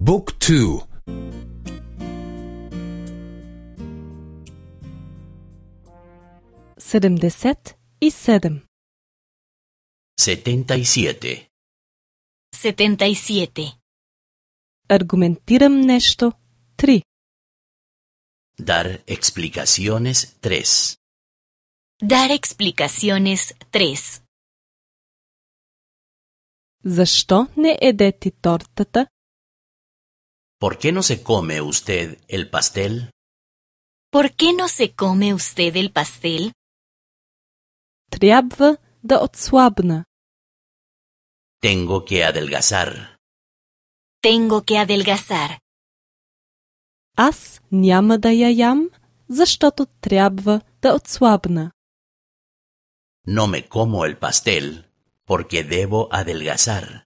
บุ๊กทู77. 77. 77. Аргументирам нещо 3. Dar explicaciones 3. Dar explicaciones 3. Защо не еде ти тортата? ¿Por qué no se come usted el pastel? ¿Por qué no se come usted el pastel? Трябва да отслабна. Tengo que adelgazar. Tengo que adelgazar. Аз няма да я ям, защото трябва да отслабна. No me como el pastel porque debo adelgazar.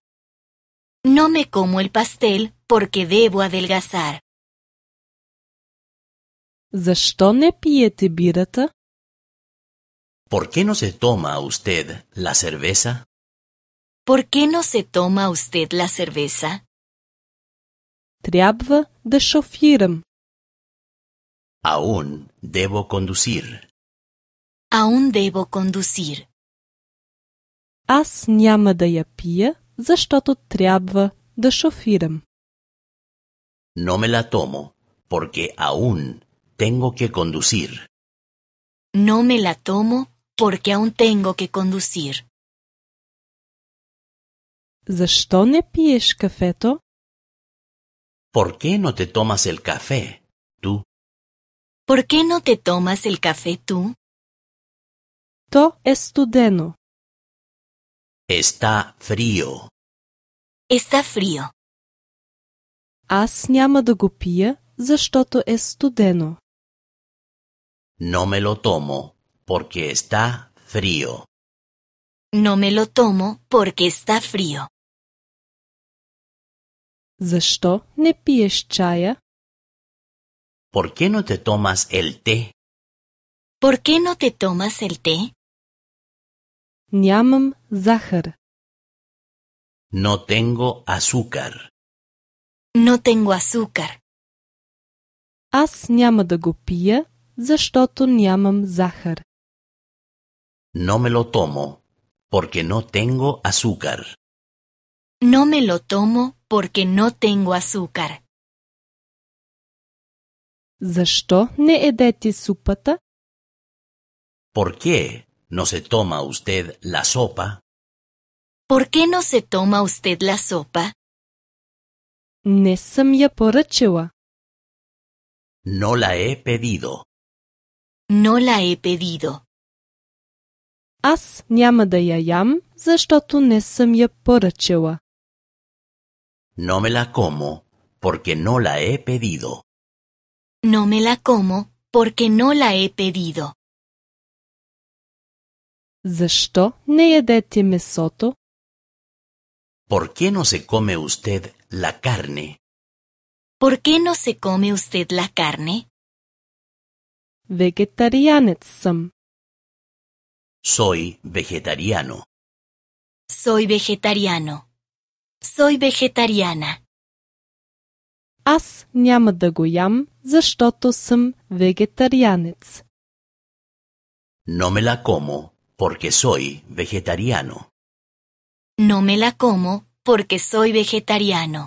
No me como el pastel porque debo adelgazar. Защо не пиете бирата? ¿Por qué no se toma usted la cerveza? ¿Por qué no se toma usted la cerveza? Трябва да шофирам. Aún debo conducir. Aún debo conducir. Аз няма да я пия, защото трябва да шофирам. No me la tomo porque aún tengo que conducir. No me la tomo porque aún tengo que conducir. Защо не пиеш кафето? ¿Por qué no te tomas el café, tú? ¿Por qué no te tomas el café tú? То е студено. Está frío. Está frío. Аз няма да го пия, защото е студено. No me lo tomo porque está frío. No me lo tomo porque está frío. Защо не пиеш чая? ¿Por qué no te tomas el té? ¿Por qué no te tomas el té? Нямам захар. No tengo azúcar. No tengo azúcar. Аз няма да го пия, защото нямам захар. No me lo tomo porque no tengo azúcar. No me lo tomo porque no tengo azúcar. Защо не едете супата? ¿Por qué no se toma usted la sopa? ¿Por qué no se toma usted la sopa? Не съм я поръчала. No la he pedido. No la he pedido. Аз няма да я ям, защото не съм я поръчала. No me la como porque no la he pedido. No me la como porque no la he pedido. Защо не ядете месото? ¿Por qué no se come usted la carne? ¿Por qué no se come usted la carne? Вегетарианец съм. Soy vegetariano. Soy vegetariano. Soy vegetariana. Аз няма да го ям, защото съм вегетарианец. No me la como porque soy vegetariano. No me la como porque soy vegetariano.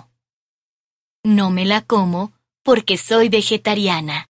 No me la como porque soy vegetariana.